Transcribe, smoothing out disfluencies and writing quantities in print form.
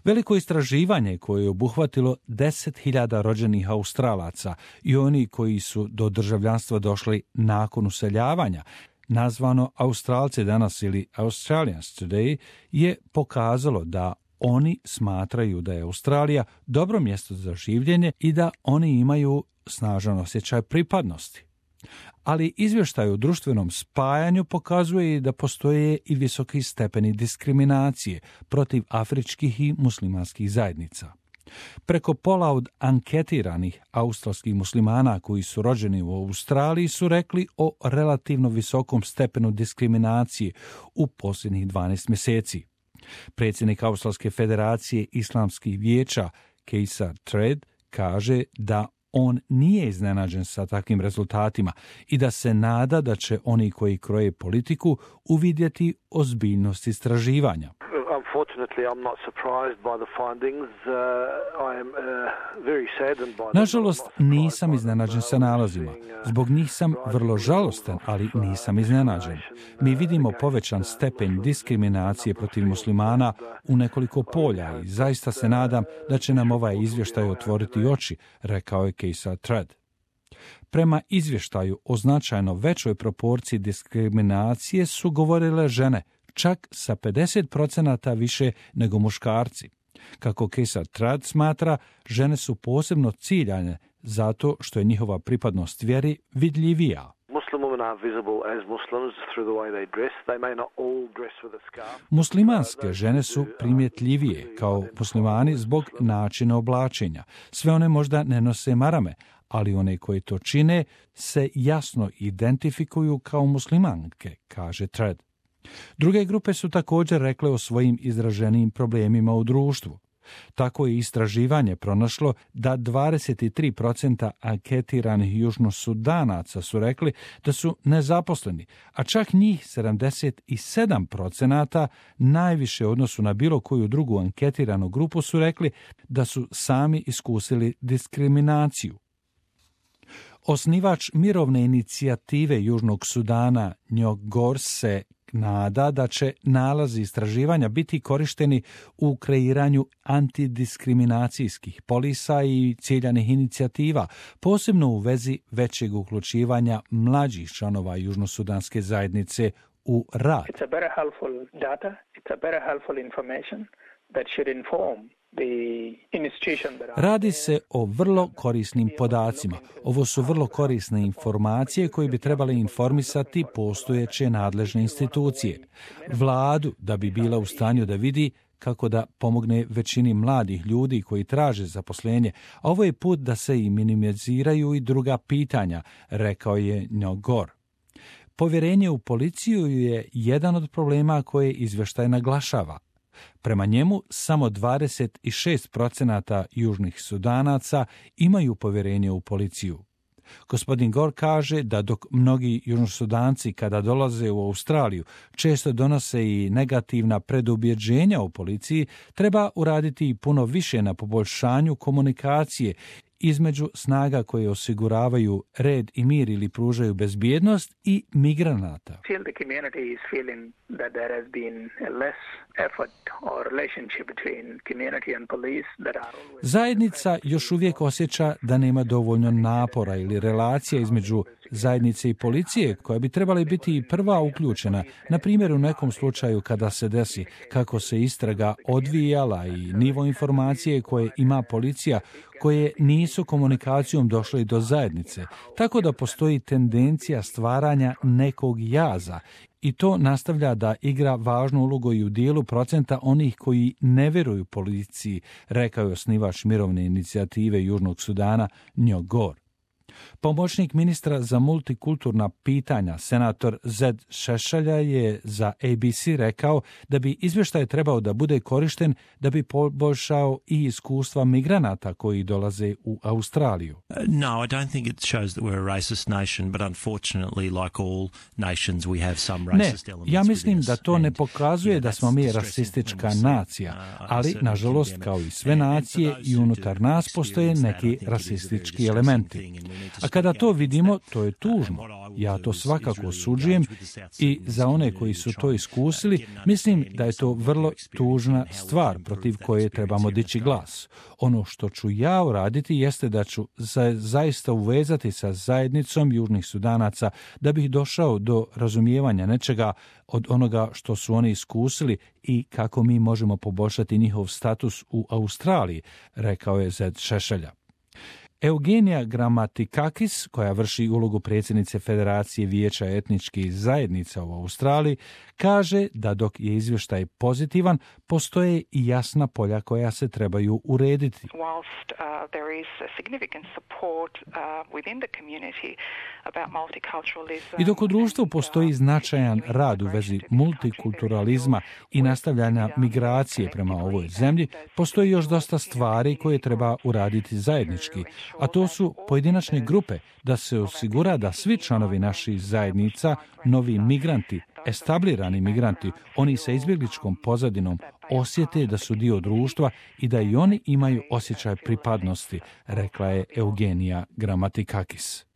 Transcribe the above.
Veliko istraživanje koje je obuhvatilo 10.000 rođenih Australaca i oni koji su do državljanstva došli nakon useljavanja, nazvano Australci danas ili Australians Today, je pokazalo da oni smatraju da je Australija dobro mjesto za življenje i da oni imaju snažan osjećaj pripadnosti. Ali izvještaj o društvenom spajanju pokazuje i da postoje i visoki stepeni diskriminacije protiv afričkih i muslimanskih zajednica. Preko pola od anketiranih australskih muslimana koji su rođeni u Australiji su rekli o relativno visokom stepenu diskriminacije u posljednjih 12 mjeseci. Predsjednik Australske federacije islamskih vijeća Kejsar Tredd kaže da on nije iznenađen sa takvim rezultatima i da se nada da će oni koji kroje politiku uvidjeti ozbiljnost istraživanja. Nažalost, nisam iznenađen sa nalazima. Zbog njih sam vrlo žalostan, ali nisam iznenađen. Mi vidimo povećan stepen diskriminacije protiv muslimana u nekoliko polja i zaista se nadam da će nam ovaj izvještaj otvoriti oči, rekao je Kejsar Tredd. Prema izvještaju o značajno većoj proporciji diskriminacije su govorile žene, čak sa 50% više nego muškarci. Kako Kejsar Tredd smatra, žene su posebno ciljane zato što je njihova pripadnost vjeri vidljivija. Muslimanske žene su primjetljivije kao muslimani zbog načina oblačenja. Sve one možda ne nose marame, ali one koji to čine se jasno identifikuju kao muslimanke, kaže Tredd. Druge grupe su također rekle o svojim izraženijim problemima u društvu. Tako je istraživanje pronašlo da 23% anketiranih južnosudanaca su rekli da su nezaposleni, a čak njih 77%, najviše u odnosu na bilo koju drugu anketiranu grupu, su rekli da su sami iskusili diskriminaciju. Osnivač mirovne inicijative Južnog Sudana Njogor se nada da će nalazi istraživanja biti korišteni u kreiranju antidiskriminacijskih polisa i ciljanih inicijativa, posebno u vezi većeg uključivanja mlađih članova južnosudanske zajednice u rad. It's a very helpful data, it's a very helpful information that should inform. Radi se o vrlo korisnim podacima. Ovo su vrlo korisne informacije koje bi trebale informisati postojeće nadležne institucije. Vladu da bi bila u stanju da vidi kako da pomogne većini mladih ljudi koji traže zaposlenje. A ovo je put da se i minimiziraju i druga pitanja, rekao je Njogor. Povjerenje u policiju je jedan od problema koje izvještaj naglašava. Prema njemu, samo 26% južnih Sudanaca imaju povjerenje u policiju. Gospodin Gore kaže da dok mnogi južnosudanci kada dolaze u Australiju često donose i negativna predubjeđenja u policiji, treba uraditi i puno više na poboljšanju komunikacije između snaga koje osiguravaju red i mir ili pružaju bezbjednost i migranata. Zajednica još uvijek osjeća da nema dovoljno napora ili relacija između zajednice i policije koja bi trebala biti i prva uključena, na primjer u nekom slučaju kada se desi kako se istraga odvijala i nivo informacije koje ima policija koje nisu komunikacijom došle do zajednice, tako da postoji tendencija stvaranja nekog jaza i to nastavlja da igra važnu ulogu i u dijelu procenta onih koji ne vjeruju policiji, rekao je osnivač mirovne inicijative Južnog Sudana Njogor. Pomoćnik ministra za multikulturna pitanja, senator Zed Šešelja, je za ABC rekao da bi izvještaj trebao da bude korišten da bi poboljšao i iskustva migranata koji dolaze u Australiju. No, I don't think it shows that we're a racist nation, but unfortunately, like all nations, we have some racist elements. Ja mislim da to ne pokazuje da smo mi rasistička nacija, ali, nažalost, kao i sve nacije, i unutar nas postoje neki rasistički elementi. A kada to vidimo, to je tužno. Ja to svakako osuđujem i za one koji su to iskusili, mislim da je to vrlo tužna stvar protiv koje trebamo dići glas. Ono što ću ja uraditi jeste da ću zaista uvezati sa zajednicom Južnih Sudanaca da bih došao do razumijevanja nečega od onoga što su oni iskusili i kako mi možemo poboljšati njihov status u Australiji, rekao je Zed Šešelja. Eugenija Gramatikakis, koja vrši ulogu predsjednice Federacije vijeća etničkih zajednica u Australiji, kaže da dok je izvještaj pozitivan, postoje i jasna polja koja se trebaju urediti. I dok u društvu postoji značajan rad u vezi multikulturalizma i nastavljanja migracije prema ovoj zemlji, postoji još dosta stvari koje treba uraditi zajednički, a to su pojedinačne grupe, da se osigura da svi članovi naših zajednica, novi migranti, establirani migranti, oni sa izbjegličkom pozadinom, osjete da su dio društva i da i oni imaju osjećaj pripadnosti, rekla je Eugenija Gramatikakis.